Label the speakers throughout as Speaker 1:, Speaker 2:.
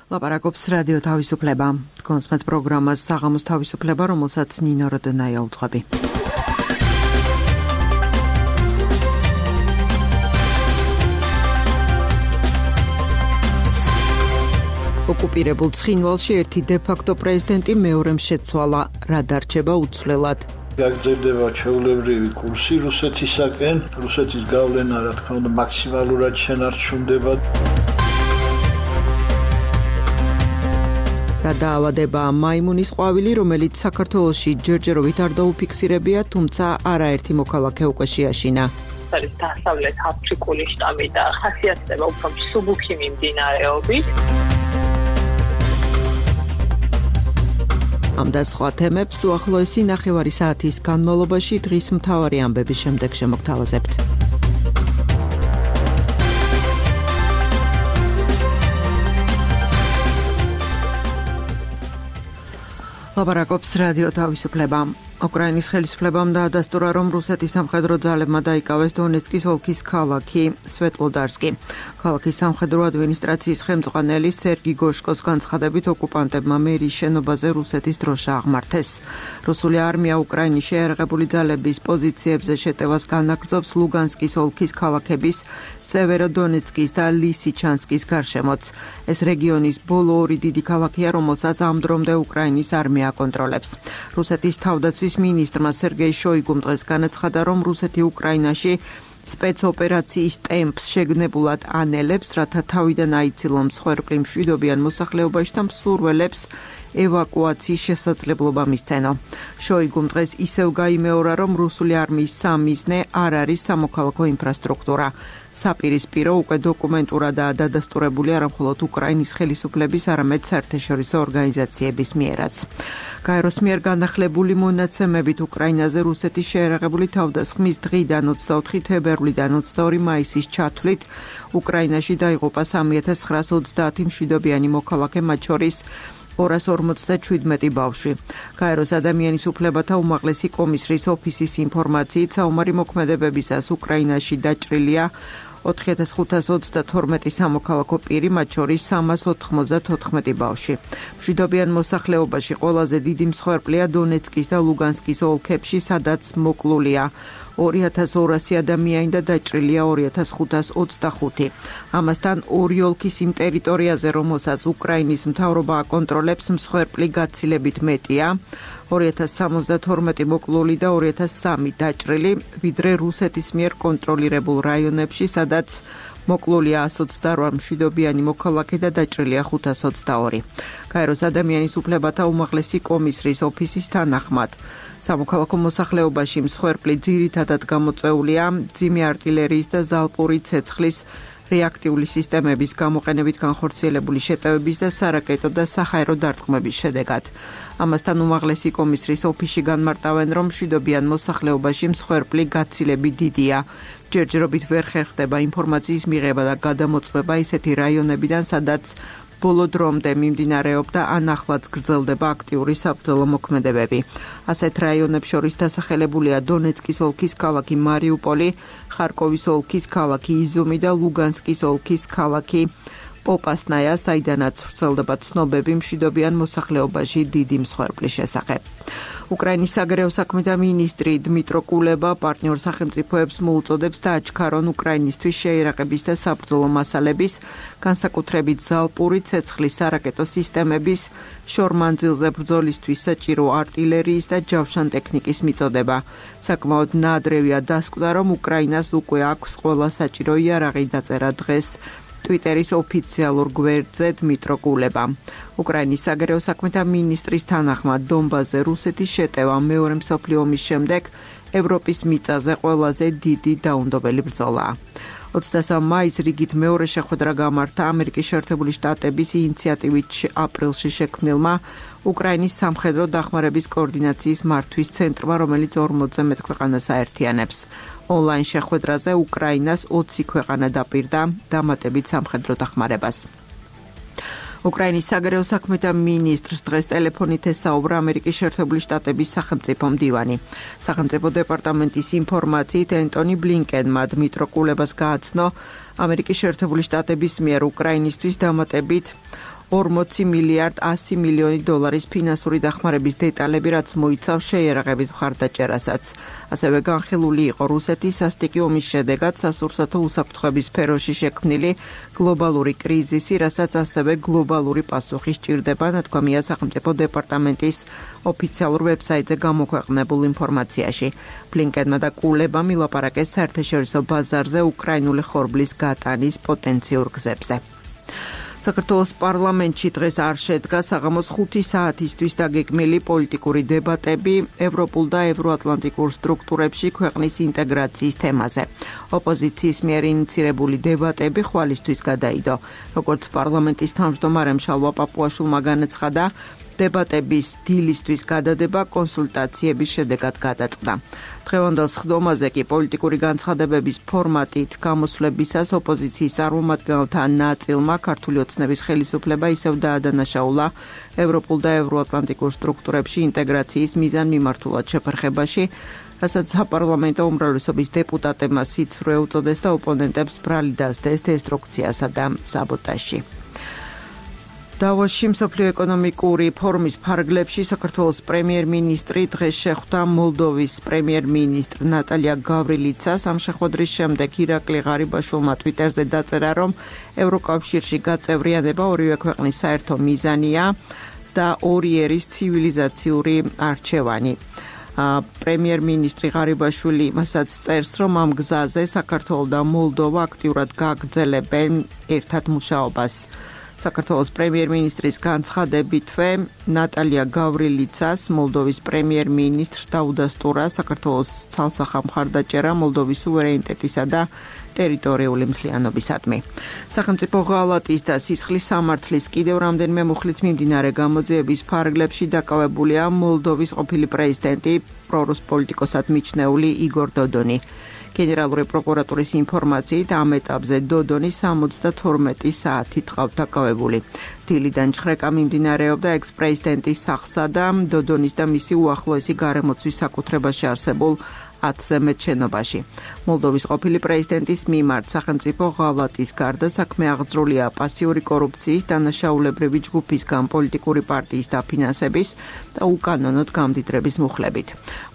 Speaker 1: ლაპარაკობს რადიო თავისუფლება. კონსმეთ პროგრამას საღამოს თავისუფლება, რომელსაც ნინო როდნაია უძღვები. ოკუპირებულ ცხინვალში ერთი დე-ფაქტო პრეზიდენტი მეორემ შეცვალა, რა დარჩება უცვლელად.
Speaker 2: გაგრძელდება ჩვეულებრივი კურსი რუსეთისაკენ, რუსეთის გავლენა, რა თქმა უნდა, მაქსიმალურად შენარჩუნდება.
Speaker 1: რა დაავადება მაიმუნის ყვავილი, რომელიც საქართველოში ჯერჯერობით არ დაუფიქსირებია, თუმცა არაერთი მოქალაქე უკვე შეაშინა.
Speaker 3: არის დასავლეთ აფრიკული შტამი და ხასიათდება უფრო მსუბუქი მიმდინარეობით.
Speaker 1: ამ და სხვა თემებს უახლოესი ნახევარი საათის განმავლობაში დღის მთავარი ამბების შემდეგ შემოგთავაზებთ. ლაპარაკობს რადიო თავისუფლება. უკრაინის ხელისუფლებამ დაადასტურა, რომ რუსეთის სამხედრო ძალებმა დაიკავეს დონეცკის ოლქის ქალაქი სვეტლოდარსკი. ქალაქის სამხედრო ადმინისტრაციის ხელმძღვანელი სერგი გოშკოს განცხადებით, ოკუპანტებმა მერის შენობაზე რუსეთის დროშა აღმართეს. რუსული არმია უკრაინის შეიარაღებული ძალების პოზიციებზე შეტევას განაგრძობს ლუგანსკის ოლქის ქალაქების სევეროდონეცკის და ლისიჩანსკის გარშემოც. ეს რეგიონის ბოლო ორი დიდი ქალაქია, რომელსაც ამ დრომდე უკრაინის არმია აკონტროლებს. რუსეთის თავდაცვის მინისტრმა სერგეი შოიგუმ დღეს განაცხადა, რომ რუსეთი უკრაინაში სპეცოპერაციის ტემპს შეგნებულად ანელებს, რათა თავიდან აიცილონ მსხვერპლი მშვიდობიან მოსახლეობაში და მსურველებს ევაკუაციის შესაძლებლობა მისცენო. შოიგუმ დღეს ისევ გაიმეორა, რომ რუსული არმიის სამიზნე არ არის სამოქალაქო ინფრასტრუქტურა. საპირისპირო უკვე დოკუმენტურადაა დადასტურებული არა მხოლოდ უკრაინის ხელისუფლების, არამედ საერთაშორისო ორგანიზაციების მიერაც. გაეროს მიერ განახლებული მონაცემებით უკრაინაზე რუსეთის შეიარაღებული თავდასხმის დღიდან 24 თებერვლიდან 22 მაისის ჩათვლით უკრაინაში დაიღუპა 3930 მშვიდობიანი მოქალაქე, მათ შორის 257 ბავშვი. გაეროს ადამიანის უფლებათა უმაღლესი კომისრის ოფისის ინფორმაციით, საომარი მოქმედებებისას უკრაინაში დაჭრილია 4532 სამოქალაქო პირი, მათ შორის 394 ბავშვი. მშვიდობიან მოსახლეობაში ყველაზე დიდი მსხვერპლია დონეცკის და ლუგანსკის ოლქებში, სადაც მოკლულია 2200 ადამიანი და დაჭრილია 2525. ამასთან ორი ოლქის იმ ტერიტორიაზე, რომელსაც უკრაინის მთავრობა აკონტროლებს, მსხვერპლი გაცილებით მეტია, 2072 მოკლული და 2003 დაჭრილი, ვიდრე რუსეთის მიერ კონტროლირებულ რაიონებში, სადაც მოკლულია 128 მშვიდობიანი მოქალაქე და დაჭრილია 522. გაეროს ადამიანის უფლებათა უმაღლესი კომისრის ოფისის თანახმად, სამოქალაქო მოსახლეობაში მსხვერპლი ძირითადად გამოწვეულია მძიმე არტილერიის და ზალპური ცეცხლის რეაქტიული სისტემების გამოყენებით განხორციელებული შეტევების და სარაკეტო და საჰაერო დარტყმების შედეგად. ამასთან უმაღლესი კომისრის ოფისში განმარტავენ, რომ მშვიდობიან მოსახლეობაში მსხვერპლი გაცილებით დიდია. ჯერჯერობით ვერ ხერხდება ინფორმაციის მიღება და გადამოწმება ისეთი რაიონებიდან, სადაც ბოლო დრომდე მიმდინარეობდა ან ახლაც გრძელდება აქტიური საბრძოლო მოქმედებები. ასეთ რაიონებს შორის დასახელებულია დონეცკის ოლქის ქალაქი მარიუპოლი, ხარკოვის ოლქის ქალაქი იზუმი და ლუგანსკის ოლქის ქალაქი პოპასნაია, საიდანაც ვრცელდება ცნობები მშვიდობიან მოსახლეობაში დიდი მსხვერპლის შესახებ. უკრაინის საგარეო საქმეთა მინისტრი დმიტრო კულება პარტნიორ სახელმწიფოებს მოუწოდებს დააჩქარონ უკრაინისთვის შეიარაღების და საბრძოლო მასალების, განსაკუთრებით ზალპური ცეცხლის სარაკეტო სისტემების, შორმანძილზე ბრძოლისთვის საჭირო არტილერიის და ჯავშან ტექნიკის მიწოდება. საკმაოდ ნაადრევია დასკვნა, რომ უკრაინას უკვე აქვს ყველა საჭირო იარაღი, დაწერა დღეს ტვიტერის ოფიციალურ გვერდზე დმიტრო კულებამ. უკრაინის საგარეო საქმეთა მინისტრის თანახმად, დონბასზე რუსეთის შეტევა მეორე მსოფლიო ომის შემდეგ ევროპის მიწაზე ყველაზე დიდი დაუნდობელი ბრძოლაა. 23 მაისს რიგით მეორე შეხვედრა გამართა ამერიკის შეერთებული შტატების ინიციატივით აპრილში შექმნილმა უკრაინის სამხედრო დახმარების კოორდინაციის მართვის ცენტრმა, რომელიც 40-ზე მეტ ქვეყანას აერთიანებს. ონლაინ შეხვედრაზე უკრაინას 20 ქვეყანა დაპირდა დამატებით სამხედრო დახმარებას. უკრაინის საგარეო საქმეთა მინისტრს დღეს ტელეფონით ესაუბრა ამერიკის შეერთებული შტატების სახელმწიფო მდივანი. სახელმწიფო დეპარტამენტის ინფორმაციით ენტონი ბლინკენმა დმიტრო კულებას გააცნო ამერიკის შეერთებული შტატების მიერ უკრაინისთვის დამატებით 40 მილიარდ 100 მილიონი დოლარის ფინანსური დახმარების დეტალები, რაც მოიცავს შეიარაღებით მხარდაჭერასაც. ასევე განხილული იყო რუსეთის სასტიკი ომის შედეგად სასურსათო უსაფრთხოების სფეროში შექმნილი გლობალური კრიზისი, რასაც ასევე გლობალური პასუხი სჭირდება, ნათქვამია სახელმწიფო დეპარტამენტის ოფიციალურ ვებსაიტზე გამოქვეყნებულ ინფორმაციაში. ბლინკენმა და კულებამ ილაპარაკეს საერთაშორისო ბაზარზე უკრაინული ხორბლის გატანის პოტენციურ გზებზე. საქართველოს პარლამენტში დღეს არ შედგა საღამოს 5 საათისთვის დაგეგმილი პოლიტიკური დებატები ევროპულ და ევროატლანტიკურ სტრუქტურებში ქვეყნის ინტეგრაციის თემაზე. ოპოზიციის მიერ ინიცირებული დებატები ხვალისთვის გადაიდო. როგორც პარლამენტის თავმჯდომარემ შალვა პაპუაშვილმა განაცხადა, დებატების დილისთვის გადადება კონსულტაციების შედეგად გადაწყდა. დღევანდელ სხდომაზე კი პოლიტიკური განცხადებების ფორმატით გამოსვლებისას ოპოზიციის წარმომადგენელთა ნაწილმა ქართული ოცნების ხელისუფლება ისევ დაადანაშაულა ევროპულ და ევროატლანტიკურ სტრუქტურებში ინტეგრაციის მიზანმიმართულად შეფერხებაში, რასაც საპარლამენტო უმრავლესობის დეპუტატებმა სიცრუე უწოდეს და ოპონენტებს ბრალი დასდეს დესტრუქციასა და საბოტაჟში. დავოსში მსოფლიო ეკონომიკური ფორუმის ფარგლებში საქართველოს პრემიერ-მინისტრი დღეს შეხვდა მოლდოვის პრემიერ-მინისტრ ნატალია გავრილიცას. ამ შეხვედრის შემდეგ ირაკლი ღარიბაშვილმა ტვიტერზე დაწერა, რომ ევროკავშირში გაწევრიანება ორივე ქვეყნის საერთო მიზანია და ორი ერის ცივილიზაციური არჩევანი. პრემიერ-მინისტრი ღარიბაშვილი მასაც წერს, რომ ამ გზაზე საქართველო და მოლდოვა აქტიურად გააგრძელებენ ერთად მუშაობას. საქართველოს პრემიერ-მინისტრის განცხადებითვე ნატალია გავრილიცას მოლდოვის პრემიერ-მინისტრს დაუდასტურა საქართველოს ცალსახა მხარდაჭერა მოლდოვის სუვერენიტეტისა და ტერიტორიული მთლიანობისადმი. სახელმწიფო ღალატის და სისხლის სამართლის კიდევ რამდენიმე მუხლით მიმდინარე გამოძიების ფარგლებში დაკავებულია მოლდოვის ყოფილი პრეზიდენტი პრორუს პოლიტიკოსად მიჩნეული იგორ დოდონი. გენერალური პროკურატურის ინფორმაციით ამ ეტაპზე დოდონი 72 საათი ტყავთ დაკავებული. დილიდან ჩხრეკა მიმდინარეობდა ექს-პრეზიდენტის სახლსა და დოდონის და მისი უახლოესი გარემოცვის საკუთრებაში არსებულ 10-ზე მეტ შენობაში. მოლდოვის ყოფილი პრეზიდენტის მიმართ სახელმწიფო ღალატის გარდა საქმე აღძრულია პასიური კორუფციის, დანაშაულებრივი ჯგუფისგან პოლიტიკური პარტიის დაფინანსების და უკანონოდ გამდიდრების მუხლებით.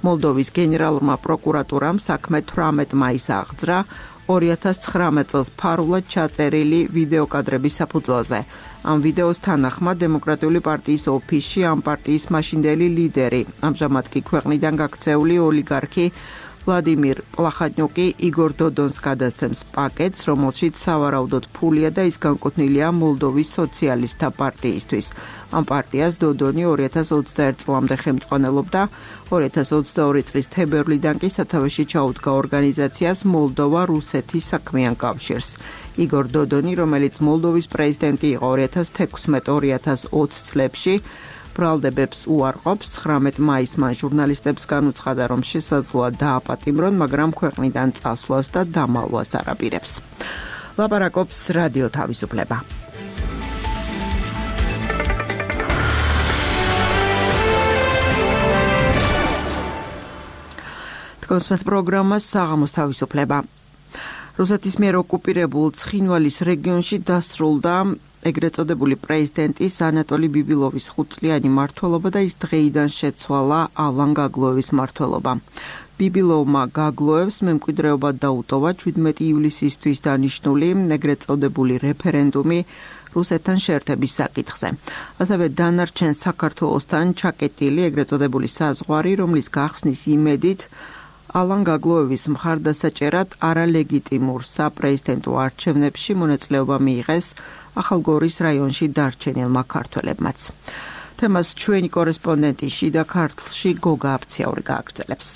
Speaker 1: მოლდოვის გენერალურმა პროკურატურამ საქმე 18 მაისს აღძრა 2019 წელს ფარულად ჩაწერილი ვიდეოკადრების საფუძველზე. ამ ვიდეოს თანახმად დემოკრატიული პარტიის ოფისში ამ პარტიის მაშინდელი ლიდერი, ამჟამად კი ქვეყნიდან გაქცეული ოლიგარქი ვლადიმირ პლახატნიუკი იგორ დოდონს გადასცემს პაკეტს, რომელშიც სავარაუდოდ ფულია და ის განკუთვნილია მოლდოვის სოციალისტთა პარტიისთვის. ამ პარტიას დოდონი 2021 წლამდე ხელმძღვანელობდა, 2022 წლის თებერვლიდან კი სათავეში ჩაუდგა ორგანიზაციას მოლდოვა რუსეთის საქმიან კავშირს. იგორ დოდონი, რომელიც მოლდოვის პრეზიდენტი იყო 2016-2020 წლებში, ბრალდებებს უარყოფს. 19 მაისს მან ჟურნალისტებს განუცხადა, რომ შესაძლოა დააპატიმრონ, მაგრამ ქვეყნიდან წასვლას და დამალვას არ აპირებს. ლაპარაკობს რადიო თავისუფლება. თქვენს პროგრამას საღამოს თავისუფლება. რუსეთის მიერ ოკუპირებულ ცხინვალის რეგიონში დასრულდა ეგრეთ წოდებული პრეზიდენტის ანატოლი ბიბილოვის 5-წლიანი მმართველობა და ის დღეიდან შეცვალა ალან გაგლოევის მმართველობა. ბიბილოვმა გაგლოევს მემკვიდრეობად დაუტოვა 17 ივლისისთვის დანიშნული ეგრეთ წოდებული რეფერენდუმი რუსეთთან შეერთების საკითხზე. ასევე დანარჩენ საქართველოსთან ჩაკეტილი ეგრეთ წოდებული საზღვარი, რომლის გახსნის იმედით ალან გაგლოევის მხარდასაჭერად არალეგიტიმურ საპრეზიდენტო არჩევნებში მონაწილეობა მიიღეს ახალგორის რაიონში დარჩენილმა ქართველებმაც. თემას ჩვენი კორესპონდენტი შიდა ქართლში გოგა აფციაური გააგრძელებს.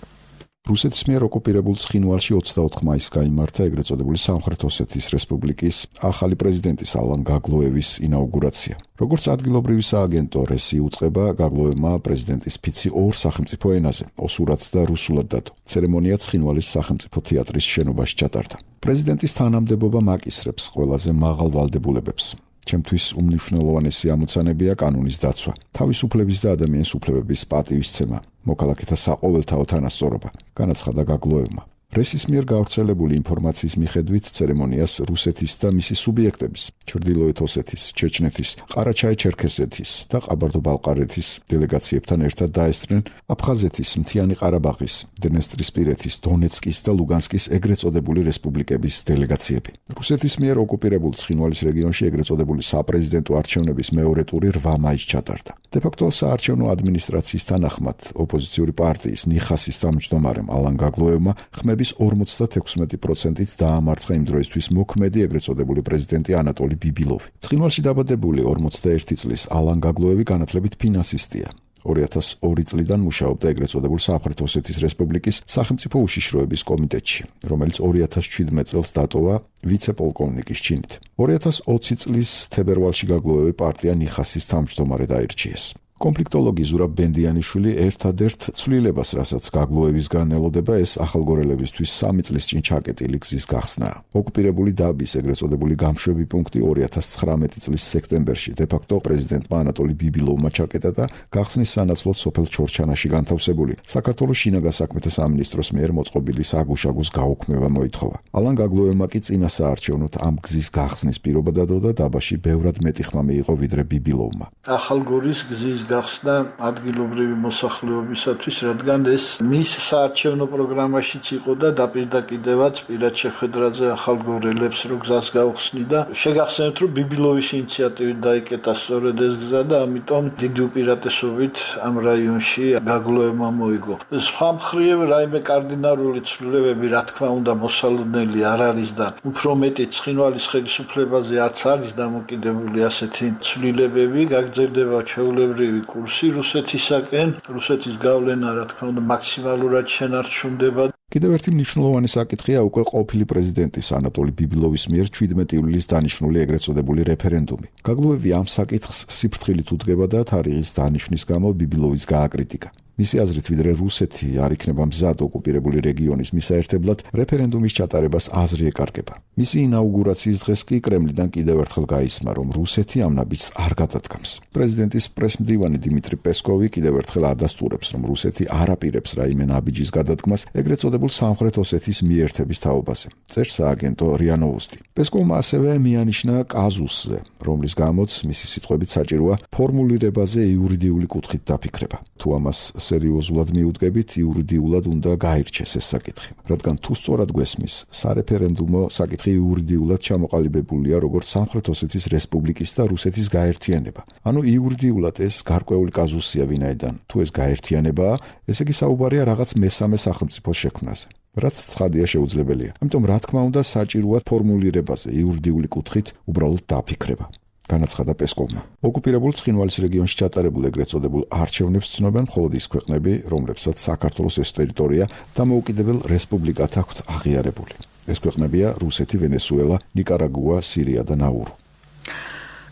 Speaker 4: რუსეთის მიერ ოკუპირებულ ცხინვალში 24 მაისს გაიმართა ეგრეთ წოდებული სამხრეთ ოსეთის რესპუბლიკის ახალი პრეზიდენტის ალან გაგლოევის ინაუგურაცია. როგორც ადგილობრივი სააგენტო რესი უწყება, გაგლოევმა პრეზიდენტის ფიცი ორ სახელმწიფო ენაზე, ოსურად და რუსულად დადო. ცერემონია ცხინვალის სახელმწიფო თეატრის შენობაში ჩატარდა. პრეზიდენტის თანამდებობა მაკისრებს ყველაზე მაღალ ვალდებულებებს. ჩემთვის უმნიშვნელოვანესი ამოცანებია კანონის დაცვა, თავისუფლების და ადამიანის უფლებების პატივისცემა, მოქალაქეთა საყოველთაო თანასწორობა, განაცხადა გაგლოევმა. პრესის მიერ გავრცელებული ინფორმაციის მიხედვით ცერემონიას რუსეთის და მისი სუბიექტების, ჩრდილოეთ ოსეთის, ჩეჩნეთის, ყარაჩაი-ჩერქეზეთის და ყაბარდო-ბალყარეთის დელეგაციებთან ერთად დაესწრნენ აფხაზეთის, მთიანი ყარაბაღის, დნესტრისპირეთის, დონეცკის და ლუგანსკის ეგრეთ წოდებული რესპუბლიკების დელეგაციები. რუსეთის მიერ ოკუპირებულ ცხინვალის რეგიონში ეგრეთ წოდებული საპრეზიდენტო არჩევნების მეორე ტური 8 მაისს ჩატარდა. დე-ფაქტო საარჩევნო ადმინისტრაციის თანახმად ოპოზიციური პარტიის ნიხასის თავმჯდომარემ ალან გაგლოევმა ხმების 56%-ით დაამარცხა იმ დროისთვის მოქმედი ეგრეთ წოდებული პრეზიდენტი ანატოლი ბიბილოვი. ცხინვალში დაბადებული 41 წლის ალან გაგლოევი განათლებით ფინანსისტია. 2002 წლიდან მუშაობდა ეგრეთ წოდებულ სამხრეთ ოსეთის რესპუბლიკის სახელმწიფო უშიშროების კომიტეტში, რომელიც 2017 წელს დატოვა ვიცე-პოლკოვნიკის ჩინით. 2020 წლის თებერვალში გაგლოევი პარტია ნიხასის თავმჯდომარედ აირჩიეს. კონფლიქტოლოგი ზურაბ ბენდიანიშვილი ერთადერთ ცვლილებას, რასაც გაგლოევისგან ელოდება, ეს ახალგორელებისთვის 3 წლის წინ ჩაკეტილი გზის გახსნაა. ოკუპირებული დაბის ეგრეთ წოდებული გამშვები პუნქტი 2019 წლის სექტემბერში დე-ფაქტო პრეზიდენტმა ანატოლი ბიბილოვმა ჩაკეტა და გახსნის სანაცვლოდ სოფელ ჩორჩანაში განთავსებული საქართველოს შინაგან საქმეთა სამინისტროს მიერ მოწყობილი საგუშაგოს გაუქმება მოითხოვა. ალან გაგლოევმა კი წინა საარჩევნოდ ამ გზის გახსნის პირობა დადო და დაბაში ბევრად მეტი ხმა მიიღო ვიდრე ბიბილოვმა.
Speaker 2: ახალგორის გზის გახსნა ადგილობრივი მოსახლეობისათვის, რადგან ეს მის საარჩევნო პროგრამაშიც იყო და დაპირდაკიდევაც პირად შეხვედრაზე ახალგორელებს რო გზას გაუხსნიდა. შეგახსენებთ, რომ ბიბილოვის ინიციატივით დაიკეტა სწორედ ეს გზა და ამიტომ დიდი უპირატესობით ამ რაიონში გაგლოევმა მოიგო. სხვა მხრივ რაიმე კარდინალური ცვლილებები, რა თქმა უნდა, მოსალოდნელი არ არის და უფრო მეტი ცხინვალის ხელისუფლებაზე არც არის დამოკიდებული ასეთი ცვლილებები, გაგრძელდება ჩვეულებრივი კურსი რუსეთისაკენ, რუსეთის გავლენა, რა თქმა უნდა, მაქსიმალურად შენარჩუნდება.
Speaker 4: კიდევ ერთი მნიშვნელოვანი საკითხია უკვე ყოფილი პრეზიდენტის ანატოლი ბიბილოვის მიერ 17 ივლისს დანიშნული ეგრეთ წოდებული რეფერენდუმი. გაგლოევი ამ საკითხს სიფრთხილით უდგება და თარიღის დანიშვნის გამო ბიბილოვის გააკრიტიკა. მისი აზრით, ვიდრე რუსეთი არ იქნება მზად ოკუპირებული რეგიონის მისაერთებლად, რეფერენდუმის ჩატარებას აზრი ეკარგება. მისი ინაუგურაციის დღეს კი კრემლიდან კიდევ ერთხელ გაისმა, რომ რუსეთი ამ ნაბიჯს არ გადადგამს. პრეზიდენტის პრესმდივანი დიმიტრი პესკოვი კიდევ ერთხელ ადასტურებს, რომ რუსეთი არ აპირებს რაიმე ნაბიჯის გადადგმას ეგრეთ წოდებულ სამხრეთ ოსეთის მიერთების თაობაზე. წერს სააგენტო RIA Novosti. პესკოვმა ასევე მიანიშნა კაზუსზე, რომლის გამოც მისი სიტყვებით საჭიროა ფორმულირებაზე იურიდიული კუთხით დაფიქრება. თუ ამას სერიოზულად მიუდგებით, იურიდიულად უნდა გაირჩეს ეს საკითხი. რადგან თუ სწორად გვესმის, სარეფერენდუმო საკითხი იურიდიულად ჩამოყალიბებულია როგორც სამხრეთ ოსეთის რესპუბლიკის და რუსეთის გაერთიანება. ანუ იურიდიულად ეს გარკვეული კაზუსია, ვინაიდან თუ ეს გაერთიანებაა, ესე იგი საუბარია რაღაც მესამე სახელმწიფოს შექმნაზე. რაც ცხადია შეუძლებელია. ამიტომ რა თქმა უნდა საჭიროა ფორმულირებაზე იურიდიული კუთხით უბრალოდ დაფიქრება. განაცხადა პესკოვმა. ოკუპირებულ ცხინვალის რეგიონში ჩატარებულ ეგრეთ წოდებულ არჩევნებს ცნობენ მხოლოდ ის ქვეყნები, რომლებსაც საქართველოს ეს ტერიტორია დამოუკიდებელ რესპუბლიკად აქვთ აღიარებული. ეს ქვეყნებია რუსეთი, ვენესუელა, ნიკარაგუა, სირია და ნაურუ.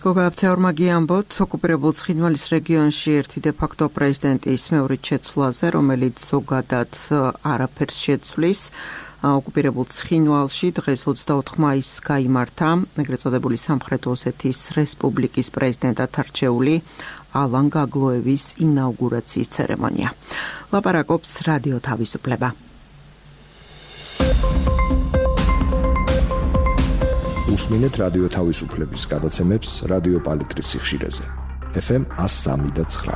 Speaker 1: გოგააფცეორმა გიამბოთ, ოკუპირებულ ცხინვალის რეგიონში ერთი დე-ფაქტო პრეზიდენტის მეორით შეცვლაზე, რომელიც ზოგადად არაფერს შეცვლის, ოკუპირებულ ცხინვალში დღეს 24 მაისს გაიმართა ეგრეთ წოდებული სამხრეთ ოსეთის რესპუბლიკის პრეზიდენტად არჩეული ალან გაგლოევის ინაუგურაციის ცერემონია. ლაპარაკობს რადიო თავისუფლება.
Speaker 5: უსმინეთ რადიო თავისუფლების გადაცემებს რადიო პალიტრის სიხშირეზე. FM 103.9.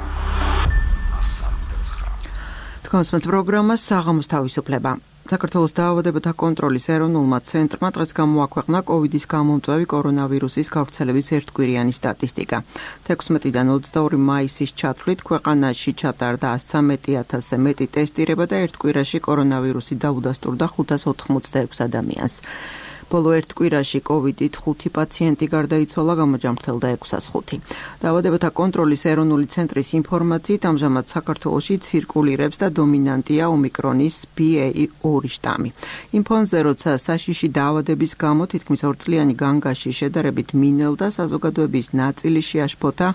Speaker 1: თქვენს პროგრამას საღამოს თავისუფლება. საქართველოს დაავადებათა კონტროლის ეროვნულმა ცენტრმა დღეს გამოაქვეყნა კოვიდის გამომწვევი კორონავირუსის გავრცელების ერთკვირიანი სტატისტიკა. 16-დან 22 მაისის ჩათვლით ქვეყანაში ჩატარდა 113,000-ზე მეტი ტესტირება და ერთ კვირაში კორონავირუსი დაუდასტურდა 586 ადამიანს. ბოლო ერთ კვირაში კოვიდით 5 პაციენტი გარდაიცვალა, გამოჯამრთელდა 605. დაავადებათა კონტროლის ეროვნული ცენტრის ინფორმაციით, ამჟამად საქართველოში ცირკულირებს და დომინანტია ომიკრონის BA2 შტამი. იმ ფონზე, როცა საშიში დაავადების გამო თითქმის 2 წლიანი განგაში შედარებით მინელდა, საზოგადოების ნაწილი შეაშფოთა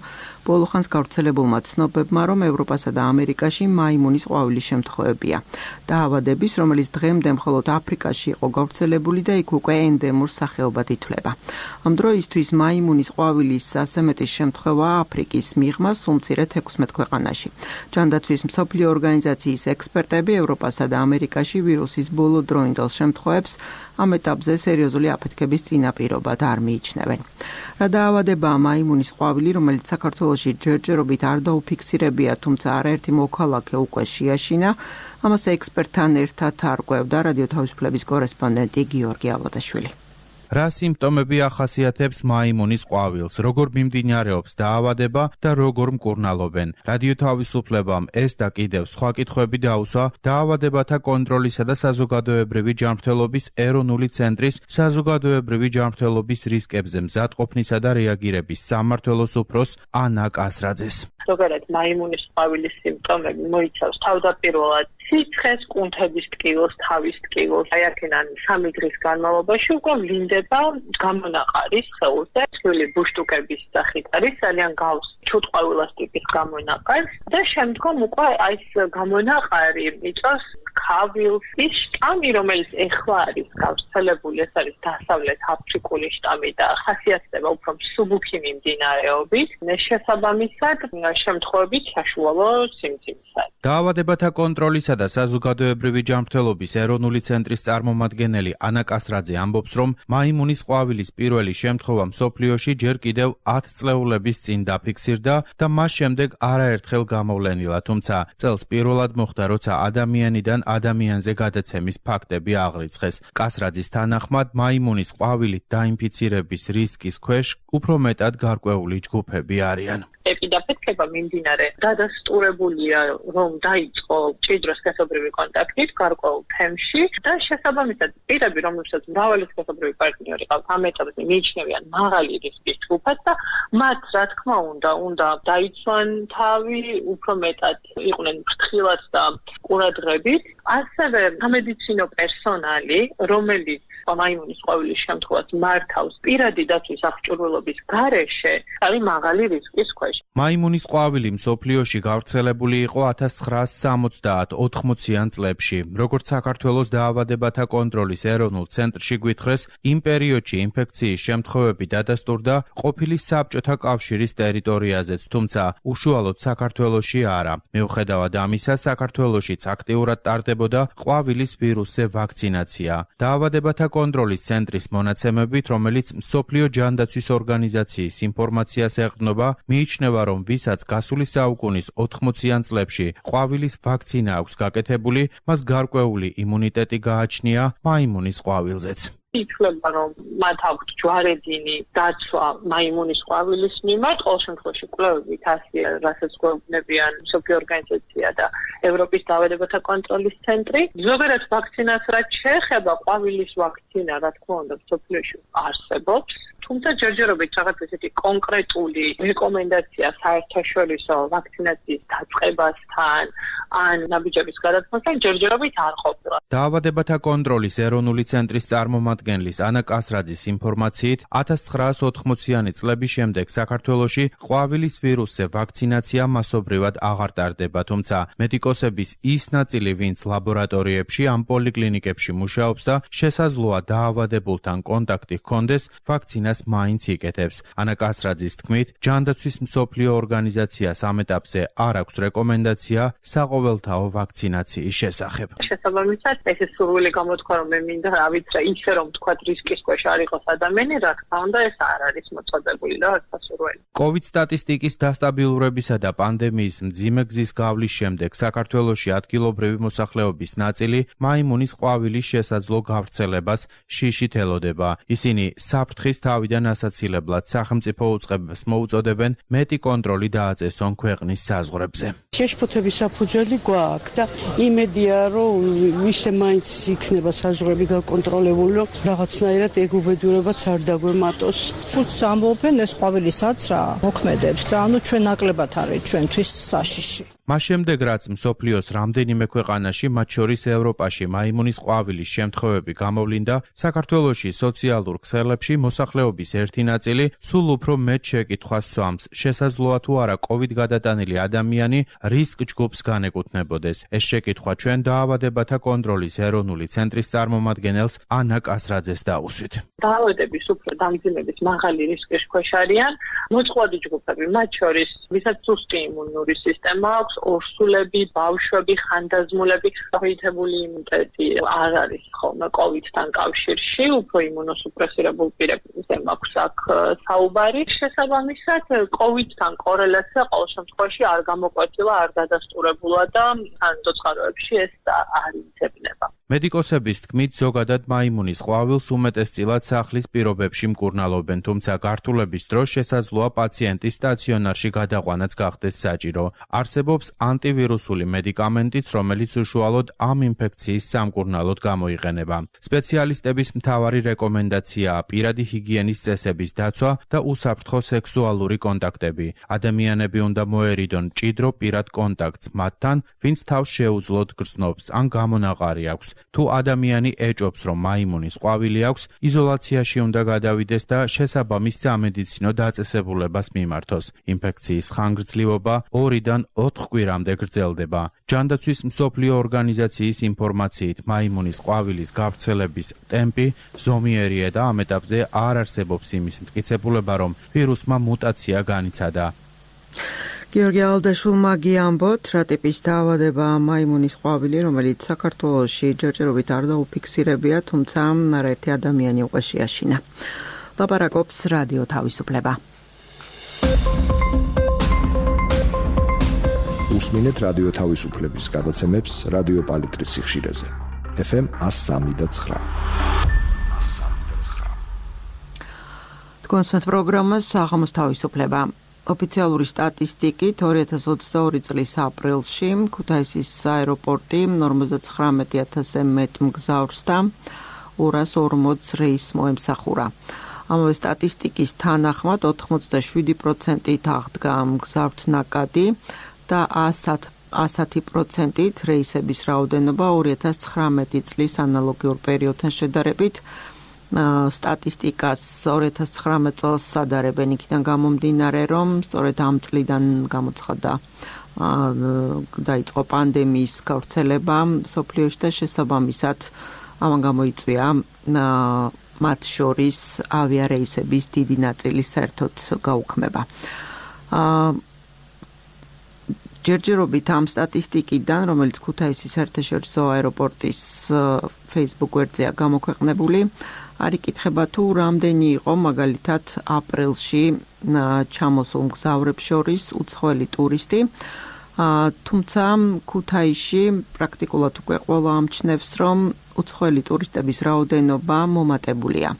Speaker 1: ბოლო ხანს გავრცელებულმა ცნობებმა, რომ ევროპასა და ამერიკაში მაიმუნის ყვავილის შემთხვევებია. დაავადების, რომელიც დღემდე მხოლოდ აფრიკაში იყო გავრცელებული და იქ უკვე ენდემურ სახეობად ითვლება. ამ დროისთვის მაიმუნის ყვავილის ასე მეტი შემთხვევა აფრიკის მიღმა სულ მცირე 16 ქვეყანაში. ჯანდაცვის მსოფლიო ორგანიზაციის ექსპერტები ევროპასა და ამერიკაში ვირუსის ბოლო დროინდელ შემთხვევებს ამ ეტაპზე სერიოზული აფეთქების წინაპირობად არ მიიჩნევენ. რა დაავადებაა მაიმუნის ყვავილი, რომელიც საქართველოში ჯერჯერობით არ დაუფიქსირებია, თუმცა არაერთი მოქალაქე უკვე შეაშინა, ამას ექსპერტთან ერთად არკვევდა რადიო თავისუფლების კორესპონდენტი გიორგი ავადაშვილი.
Speaker 6: რა სიმპტომები ახასიათებს მაიმუნის ყვავილს, როგორ მიმდინარეობს დაავადება და როგორ მკურნალობენ. რადიო თავისუფლებამ ეს და კიდევ სხვა კითხვები დაუსვა დაავადებათა კონტროლისა და საზოგადოებრივი ჯანმრთელობის ეროვნული ცენტრის საზოგადოებრივი ჯანმრთელობის რისკებზე მზადყოფნისა და რეაგირების სამმართველოს უფროს ანა კასრაძეს.
Speaker 3: ზოგადად მაიმუნის ყვავილის სიმპტომები მოიცავს თავდაპირველად სიცხეს, კუნთების ტკივილს, თავის ტკივილს, აი აქედან 3 დღის განმავლობაში უკვე ვლინდება გამონაყარის სხეულზე, ცვლილი ბუშტუკების სახით არის, ძალიან გავს ჩუტყვავილას ტიპის გამონაყარს და შემდგომ უკვე აი ეს გამონაყარი იწვევს ქავილს. ის შტამი, რომელიც ეხლა არის გავრცელებული, ეს არის დასავლეთ აფრიკული შტამი და ხასიათდება უფრო მსუბუქი მიმდინარეობით, შესაბამისად შემთხვევებით საშუალო სიმძიმისაა.
Speaker 6: დაავადებათა კონტროლისა და საზოგადოებრივი ჯანმრთელობის ეროვნული ცენტრის წარმომადგენელი ანა კასრაძე ამბობს, რომ მაიმუნის ყვავილის პირველი შემთხვევა მსოფლიოში ჯერ კიდევ 10 წლეულების წინ დაფიქსირდა და მას შემდეგ არაერთხელ გამოვლენილა, თუმცა წელს პირველად მოხდა, როცა ადამიანიდან ადამიანზე გადაცემის ფაქტები აღრიცხეს. კასრაძის თანახმად, მაიმუნის ყვავილით დაინფიცირების რისკის ქვეშ უფრო მეტად გარკვეული ჯგუფები არიან.
Speaker 3: ეპიდაფეთქება მიმდინარე დადასტურებულია, რომ დაიწყო მჭიდრო სქესობრივი კონტაქტით გარკვეულ თემში და შესაბამისად პირები, რომლებსაც მრავალი სქესობრივი პარტნიორი ყავთ, ამ ეტაპზე მიიჩნევიან მაღალი რისკის ჯგუფად და მათ, რა თქმა უნდა დაიცვან თავი, უფრო მეტად იყვნენ ფრთხილად და ყურადღებით. ასევე სამედიცინო პერსონალი, რომელიც მაიმუნის ყვავილის შემთხვევას მართავს პირადი დაცვის აღჭურვილობის გარეშე, არის მაღალი რისკის ქვეშ.
Speaker 6: მაიმუნის ყვავილი მსოფლიოში გავრცელებული იყო 1970-80-იან წლებში. როგორც საქართველოს დაავადებათა კონტროლის ეროვნულ ცენტრში გვითხრეს, იმ პერიოდში ინფექციის შემთხვევები დადასტურდა ყოფილი საბჭოთა კავშირის ტერიტორიაზეც, თუმცა უშუალოდ საქართველოში არა. მიუხედავად ამისა, საქართველოშიც აქტიურად ტარდებოდა ყვავილის ვირუსზე ვაქცინაცია. დაავადებათა კონტროლის ცენტრის მონაცემებით, რომელიც მსოფლიო ჯანდაცვის ორგანიზაციის ინფორმაციას ეყრდნობა, მიიჩნევა, რომ ვისაც გასული საუკუნის 80-იან წლებში ყვავილის ვაქცინა აქვს გაკეთებული, მას გარკვეული იმუნიტეტი გააჩნია მაიმუნის ყვავილზეც.
Speaker 3: ითვლება, რომ მათ აქვთ ჯვარედინი დაცვა მაიმუნის ყვავილის მიმართ, ყოველ შემთხვევაში კვლევებით ასეა, რასაც გვეუბნებიან მსოფლიო ორგანიზაცია და ევროპის დაავადებათა კონტროლის ცენტრი. ზოგადად ვაქცინას რაც შეეხება, ყვავილის ვაქცინა, რა თქმა უნდა, მსოფლიოში არსებობს. თუმცა ჯერჯერობით რაღაც ესეთი კონკრეტული რეკომენდაცია საერთაშორისო ვაქცინაციის დაწყებასთან ან ნაბიჯების გადაწყვეტასთან ჯერჯერობით არ ყოფილა.
Speaker 6: დაავადებათა კონტროლის ეროვნული ცენტრის წარმომადგენლის ანა კასრაძის ინფორმაციით, 1980-იანი წლების შემდეგ საქართველოში ყვავილის ვირუსზე ვაქცინაცია მასობრივად აღარ ტარდება, თუმცა მედიკოსების ის ნაწილი, ვინც ლაბორატორიებში ან პოლიკლინიკებში მუშაობს და შესაძლოა დაავადებულთან კონტაქტი ჰქონდეს, ვაქცინას მაინც იკეთებს. ანა კასრაძის თქმით, ჯანდაცვის მსოფლიო ორგანიზაციას ამ ეტაპზე არ აქვს რეკომენდაცია საყოველთაო ვაქცინაციის შესახებ.
Speaker 3: შესაბამისად, ეს სურვილი გამოთქვა, რომ მე მინდა რა ვიცი, ისე რომ თქვა რისკის ქვეშ არ იყოს ადამიანი, რა თქმა უნდა, ეს არ არის მოწოდებული და არ სასურველი.
Speaker 6: COVID სტატისტიკის დასტაბილურებისა და პანდემიის მძიმე გზის გავლის შემდეგ საქართველოში ადგილობრივი მოსახლეობის ნაწილი მაიმუნის ყვავილის შესაძლო გავრცელებას შიშით ელოდება. ისინი საფრთხის თავიდან ასაცილებლად სახელმწიფო უწყებებს მოუწოდებენ მეტი კონტროლი დააწესონ ქვეყნის საზღვრებზე.
Speaker 7: შეშფოთების საფუძველი გვაქვს და იმედია რომ ისე მაინც იქნება საზღვრები გაკონტროლებული რომ რაღაცნაირად ეგ უბედურებაც არ დაგვემატოს.
Speaker 8: ხუთს ამბობენ ეს ყვავილისაც რა მოქმედებს და ანუ ჩვენ ნაკლებად არის ჩვენთვის საშიში.
Speaker 6: მას შემდეგ რაც მსოფლიოს რამდენიმე ქვეყანაში, მათ შორის ევროპაში მაიმუნის ყვავილის შემთხვევები გამოვლინდა, საქართველოში სოციალურ ქსელებში მოსახლეობის ერთი ნაწილი სულ უფრო მეტ შეკითხვას სვამს, შესაძლოა თუ არა COVID გადატანილი ადამიანი რისკ ჯგუფს განეკუთვნებოდეს. ეს შეკითხვა ჩვენ დაავადებათა კონტროლის ეროვნული ცენტრის წარმომადგენელს ანა კასრაძეს დაუსვით.
Speaker 3: დაავადების უფრო დამძიმების მაღალი რისკის ქვეშ არიან მოწყვლადი ჯგუფები, მათ შორის ვისაც სუსტი იმუნური სისტემა აქვს, ორსულები, ბავშვები, ხანდაზმულები, შეფეთებული იმუნიტეტი არ არის ხოლმე COVID-თან კავშირში, უფრო იმუნოსუპრესირებულ პირებზე მაქვს აქ საუბარი. შესაბამისად, COVID-თან კორელაცია ყოველ შემთხვევაში არ გამოკვეთილა, არ დადასტურებულა და სანიტაროებში ეს არ იცებნება.
Speaker 6: მედიკოსების თქმით, ზოგადად მაიმუნის ყვავილს უმეტესწილად სახლის პირობებში მკურნალობენ, თუმცა გართულების დროს შესაძლოა პაციენტის სტაციონარში გადაყვანაც გახდეს საჭირო. არსებობს ანტივირუსული მედიკამენტიც, რომელიც უშუალოდ ამ ინფექციის სამკურნალოდ გამოიყენება. სპეციალისტების მთავარი რეკომენდაციაა პირადი ჰიგიენის წესების დაცვა და უსაფრთხო სექსუალური კონტაქტები. ადამიანები უნდა მოერიდონ მჭიდრო პირად კონტაქტს მათთან, ვინც თავს შეუძლოდ გრძნობს ან გამონაყარი აქვს. თუ ადამიანი ეჭობს, რომ მაიმუნის ყვავილი აქვს, იზოლაციაში უნდა გადავიდეს და შესაბამის სამედიცინო დაწესებულებას მიმართოს. ინფექციის ხანგრძლივობა 2-დან 4 კვირამდე გრძელდება. ჯანდაცვის მსოფლიო ორგანიზაციის ინფორმაციით, მაიმუნის ყვავილის გავრცელების ტემპი ზომიერია და ამ ეტაპზე არ არსებობს იმის მტკიცებულება, რომ ვირუსმა მუტაცია განიცადა.
Speaker 1: გიორგი ალდაშულმა გიამბოთ, რა ტიპის დაავადება მაიმუნის ყვავილი, რომელიც საქართველოში ჯერჯერობით არ დაუფიქსირებია, თუმცა არაერთი ადამიანი უკვე შეაშინა. ლაპარაკობს რადიო თავისუფლება.
Speaker 5: უსმინეთ რადიო თავისუფლების გადაცემებს რადიო პალიტრის სიხშირეზე. FM 103.9.
Speaker 1: თქვენს პროგრამას საღამოს თავისუფლება. ოფიციალური სტატისტიკით 2022 წლის აპრილში ქუთაისის აეროპორტი 59,000-ზე მეტ მგზავრს და 240 რეისს მოემსახურა. ამავე სტატისტიკის თანახმად 87%-ით აღდგა მგზავრთნაკადი და 110%-ით რეისების რაოდენობა 2019 წლის ანალოგიურ პერიოდთან შედარებით. სტატისტიკას 2019 წელს სადარებენ იქიდან გამომდინარე, რომ სწორედ ამ წლიდან გამოცხადდა დაიწყო პანდემიის გავრცელება სოფლიოში და შესაბამისად ამან გამოიწვია მათ შორის ავიარეისების დიდი ნაწილი საერთოდ გაუქმება. ჯერჯერობით ამ სტატისტიკიდან, რომელიც ქუთაისის საერთაშორისო აეროპორტის Facebook გვერდზეა გამოქვეყნებული, არ იკითხება თუ რამდენი იყო მაგალითად აპრილში ჩამოსულ მგზავრებს შორის უცხოელი ტურისტი, თუმცა ქუთაისში პრაქტიკულად უკვე ყველა ამჩნევს, რომ უცხოელი ტურისტების რაოდენობა მომატებულია.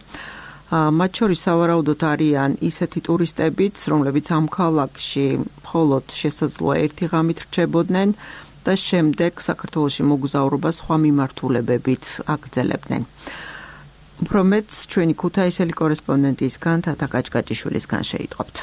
Speaker 1: მათ შორის სავარაუდოდ არიან ისეთი ტურისტებიც, რომლებიც ამ ქალაქში მხოლოდ შესაძლოა ერთი ღამით რჩებოდნენ და შემდეგ საქართველოში მოგზაურობა სხვა მიმართულებებით აგრძელებდნენ. უფრო მეტს ჩვენი ქუთაისელი კორესპონდენტისგან თათა კაჭკაჭიშვილისგან შეიტყობთ.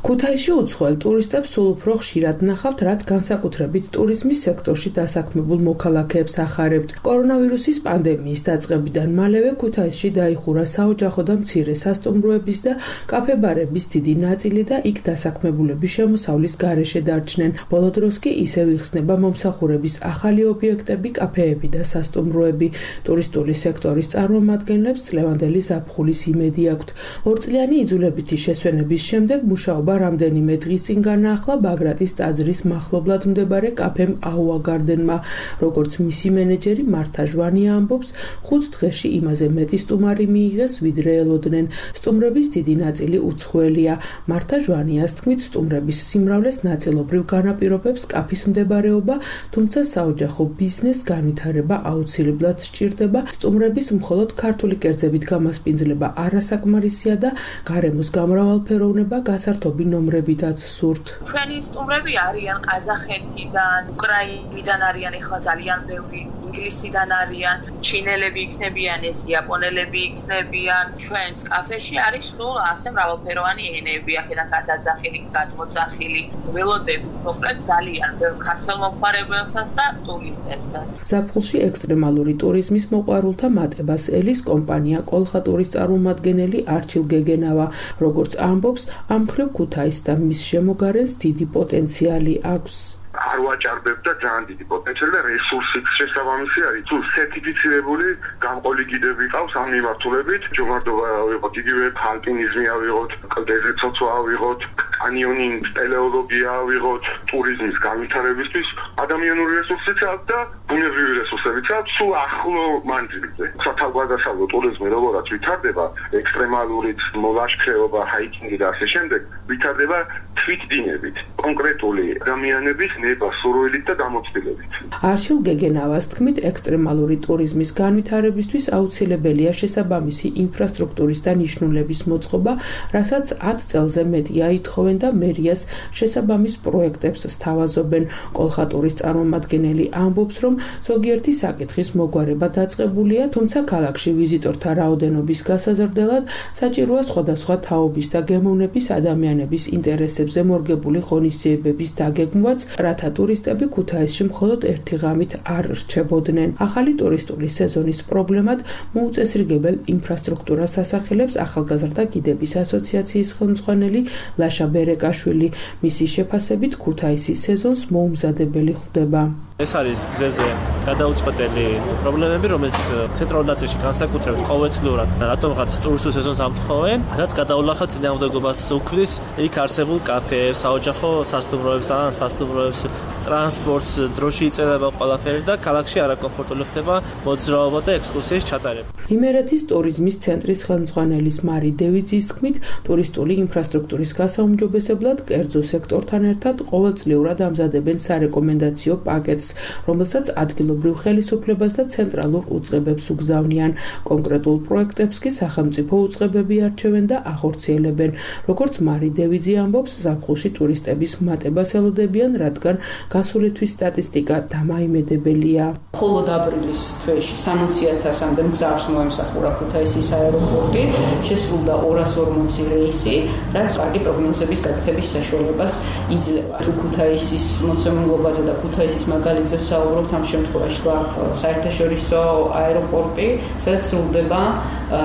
Speaker 9: ქუთაისში უცხოელ ტურისტებს სულ უფრო ხშირად ნახავთ, რაც განსაკუთრებით ტურიზმის სექტორში დასაქმებულ მოქალაქეებს ახარებთ. კორონავირუსის პანდემიის დაწყებიდან მალევე ქუთაისში დაიხურა საოჯახო და მცირე სასტუმროების და კაფე-ბარების დიდი ნაწილი და იქ დასაქმებულების შემოსავლის გარეშე დარჩნენ. ბოლო დროს კი ისევ იხსნება მომსახურების ახალი ობიექტები, კაფეები და სასტუმროები. ტურისტული სექტორის წარმომადგენლებს წლევანდელი ზაფხულის იმედი აქვთ. ორწლიანი იძულებითი შესვენების შემდეგ მუშაობა რამდენიმე დღის წინ განაახლა ბაგრატის ტაძრის მახლობლად მდებარე კაფემ აუა გარდენმა. როგორც მისი მენეჯერი მართა ჟვანია ამბობს, 5 დღეში იმაზე მეტი სტუმარი მიიღეს, ვიდრე ელოდნენ. სტუმრების დიდი ნაწილი უცხოელია. მართა ჟვანიას თქმით, სტუმრების სიმრავლეს ნაწილობრივ განაპირობებს კაფის მდებარეობა, თუმცა საოჯახო ბიზნესს განვითარება აუცილებლად სჭირდება. სტუმრების მხოლოდ ქართული კერძებით გამასპინძლება არასაკმარისია და გარემოს გამრავალფეროვნება გასართობი ნაკლები ნომრებითაც სურთ.
Speaker 10: ჩვენი სტუმრები არიან ყაზახეთიდან, უკრაინიდან არიან, ეხლა ძალიან ბევრი ინგლისიდან არიან, ჩინელები იქნებიან, ეს იაპონელები იქნებიან. ჩვენს კაფეში არის სულ ასე მრავალფეროვანი ენები, აქედან გადაძახილი, გადმოძახილი, ველოდები, მოკლედ ძალიან ბევრ ქართველ მომხმარებელსაც და ტურისტებსაც.
Speaker 9: ზაფხულში ექსტრემალური ტურიზმის მოყვარულთა მატებას ელის კომპანია კოლხატურის წარმომადგენელი არჩილ გეგენავა, როგორც ამბობს, ამ მხრივ ქუთაისს და მის შემოგარენს დიდი პოტენციალი აქვს.
Speaker 11: არ ვაჭარბებ და ძალიან დიდი პოტენციალი და რესურსიც შესაბამისი არის. თუ სერტიფიცირებული გამყოლი გიდები ყავს ამ მიმართულებით, ჯოგარდობა ავიღოთ, იგივე ალპინიზმი ავიღოთ, კლდეზე ცოცვა ავიღოთ, კანიონინგ, სპელეოლოგია ავიღოთ, ტურიზმის განვითარებისთვის ადამიანური რესურსიც აქვს და ბუნებრივი რესურსებიც აქვს სულ ახლო მანძილზე. სათავგადასავლო ტურიზმი როგორაც ვითარდება, ექსტრემალურიც, მოლაშქრეობა, ჰაიკინგი და ასე შემდეგ, ვითარდება თვითდინებით, კონკრეტული ადამიანების სურვილით და გამოცდილებით.
Speaker 9: არჩილ გეგენავას თქმით, ექსტრემალური ტურიზმის განვითარებისთვის აუცილებელია შესაბამისი ინფრასტრუქტურის და ნიშნულების მოწყობა, რასაც 10 წელზე მეტია ითხოვენ და მერიას შესაბამის პროექტებს სთავაზობენ. კოლხატურის წარმომადგენელი ამბობს, რომ ზოგიერთი საკითხის მოგვარება დაწყებულია, თუმცა ქალაქში ვიზიტორთა რაოდენობის გასაზრდელად საჭიროა სხვადასხვა თაობის და გემოვნების ადამიანების ინტერესებზე მორგებული ღონისძიებების დაგეგმვაც, რათა ტურისტები ქუთაისში მხოლოდ ერთი ღამით არ რჩებოდნენ. ახალი ტურისტული სეზონის პრობლემად მოუწესრიგებელ ინფრასტრუქტურას ასახელებს ახალგაზრდა გიდების ასოციაციის ხელმძღვანელი ლაშა ბერეკაშვილი. მისი შეფასებით ქუთაისის სეზონს მოუმზადებელი ხვდება.
Speaker 12: ეს არის გზებზე გადაუწყვეტელი პრობლემები, რომელიც ცენტრალურ ნაწილში განსაკუთრებით ყოველწლიურად რატომღაც ტურისტულ სეზონს ამთხოვენ, რაც გადაულახა წინააღმდეგობას უქმნის იქ არსებულ კაფეებს, საოჯახო სასტუმროებს, სასტუმროებს, ტრანსპორტს, დროში იწერება ყველაფერი და ქალაქში არაკომფორტული ხდება მოძრაობა და ექსკურსიის ჩატარება.
Speaker 9: იმერეთის ტურიზმის ცენტრის ხელმძღვანელის მარი დევიძის თქმით, ტურისტული ინფრასტრუქტურის გასაუმჯობესებლად კერძო სექტორთან ერთად ყოველწლიურად ამზადებენ სარეკომენდაციო პაკეტს, რომელსაც ადგილობრივ ხელისუფლებას და ცენტრალურ უწყებებს უგზავნიან. კონკრეტულ პროექტებს კი სახელმწიფო უწყებები არჩევენ და ახორციელებენ. როგორც მარი დევიძი ამბობს, ზაფხულში ტურისტების მატებას ელოდებიან, რადგან გასული თვის სტატისტიკა დამაიმედებელია.
Speaker 13: მხოლოდ აპრილის თვეში 60,000-მდე მგზავრს მოემსახურა ქუთაისის აეროპორტი, შესრულდა 240 რეისი, რაც კარგი პროგნოზების გაკეთების საშუალებას იძლევა. თუ ქუთაისის მოცემულობაზე და ქუთაისის მაგალითზე ვსაუბრობთ, ამ შემთხვევაში გვაქვს საერთაშორისო აეროპორტი, სადაც სრულდება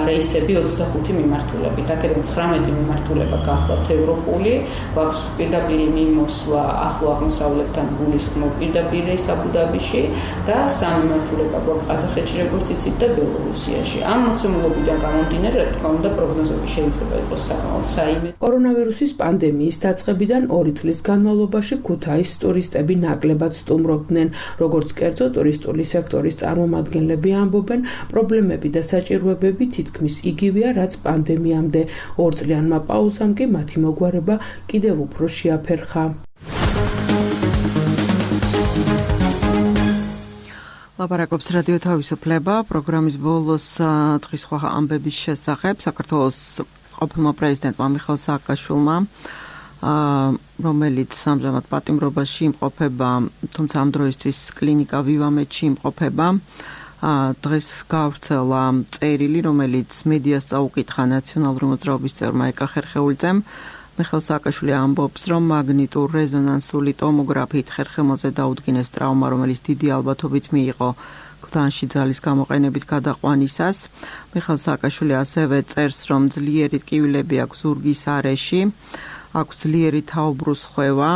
Speaker 13: რეისები 25 მიმართულებით. აქედან 19 მიმართულება გახლავთ ევროპული, გვაქვს პირდაპირი მიმოსვლა ახლო აღმოსავლეთთან გულისხმობ პირდაპირ რეის აბუ-დაბიში და 3 მიმართულება გვაქვს ყაზახეთში, როგორც იცით, და ბელორუსიაში. ამ მოცემულობიდან გამომდინარე, რა თქმა უნდა, პროგნოზები შეიძლება იყოს საკმაოდ საიმე.
Speaker 9: კორონავირუსის პანდემიის დაწყებიდან 2 წლის განმავლობაში ქუთაისს ტურისტები ნაკლებად სტუმრობდნენ. როგორც კერძო ტურისტული სექტორის წარმომადგენლები ამბობენ, პრობლემები და საჭიროებები თითქმის იგივეა, რაც პანდემიამდე. 2 წლიანმა პაუზამ კი მათი მოგვარება კიდევ უფრო შეაფერხა.
Speaker 1: ლაპარაკობს რადიო თავისუფლება, პროგრამის ბოლოს დღის სხვა ამბების შესახებ საქართველოს ყოფილმა პრეზიდენტმა მიხეილ სააკაშვილმა, რომელიც ამჟამად პატიმრობაში იმყოფება, თუმცა ამ დროისთვის კლინიკა ვივამედში იმყოფება. დღეს გავრცელა წერილი, რომელიც მედიას წაუკითხა ნაციონალური მოძრაობის წევრმა ეკა ხერხეულიძემ. მიხეილ სააკაშვილი ამბობს, რომ მაგნიტურ რეზონანსული ტომოგრაფიით ხერხემალზე დაუდგინეს ტრავმა, რომელიც დიდი ალბათობით მიიღო კლდანში ძალის გამოყენებით გადაყვანისას. მიხეილ სააკაშვილი ასევე წერს, რომ ძლიერი ტკივილები აქვს ზურგის არეში, აქვს ძლიერი თაუბრუსხვევა,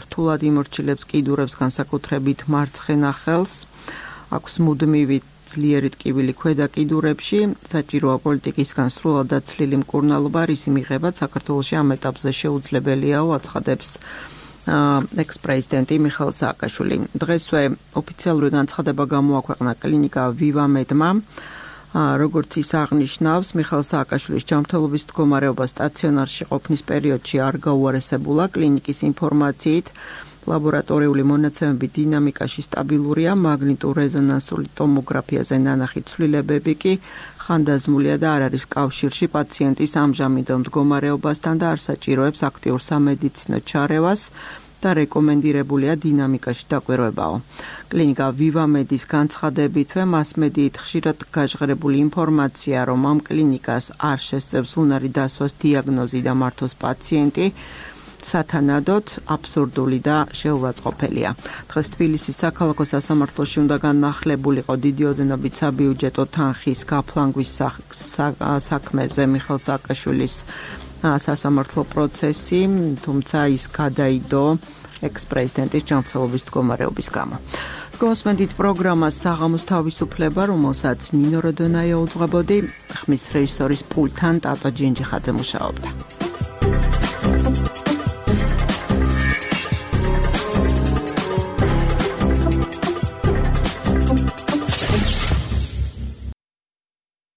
Speaker 1: რთულად იმორჩილებს კიდურებს, განსაკუთრებით მარცხენა ხელს, აქვს მუდმივი ძლიერი ტკივილი ქვედა კიდურებში, საჭიროა პოლიტიკისგან სრულად დაცლილი მკურნალობა, რისი მიღება საქართველოში ამ ეტაპზე შეუძლებელიაო, აცხადებს ექს-პრეზიდენტი მიხეილ სააკაშვილი. დღესვე ოფიციალური განცხადება გამოაქვეყნა კლინიკა ვივამედმა. როგორც ის აღნიშნავს, მიხეილ სააკაშვილის ჯანმრთელობის მდგომარეობა სტაციონარში ყოფნის პერიოდში არ გაუარესებულა კლინიკის ინფორმაციით. ლაბორატორიული მონაცემები დინამიკაში სტაბილურია, მაგნიტურ-რეზონანსული ტომოგრაფიაზე ნანახი ცვლილებები კი ხანდაზმულია და არ არის კავშირში პაციენტის ამჟამინდელ მდგომარეობასთან და არ საჭიროებს აქტიურ სამედიცინო ჩარევას და რეკომენდირებულია დინამიკაში დაკვირვებაო. კლინიკა VivaMed-ის განცხადებითვე მასმედიით ხშირად გაჟღერებული ინფორმაცია, რომ ამ კლინიკას არ შესწევს უნარი დასვას დიაგნოზი და მართოს პაციენტი, სათანადოდ აბსურდული და შეურაცხყოფელია. დღეს თბილისის საქალაქო სასამართლოში უნდა განახლებულიყო დიდი ოდენობით საბიუჯეტო თანხის გაფლანგვის საქმეზე მიხეილ სააკაშვილის სასამართლო პროცესი, თუმცა ის გადაიდო ექს-პრეზიდენტის ჯანმრთელობის მდგომარეობის გამო. გოსმენდით პროგრამას საღამოს თავისუფლება, რომელსაც ნინო როდონაია უძღვებოდი, ხმის რეჟისორის პულტთან ტატო ჯინჯიხაძე მუშაობდა.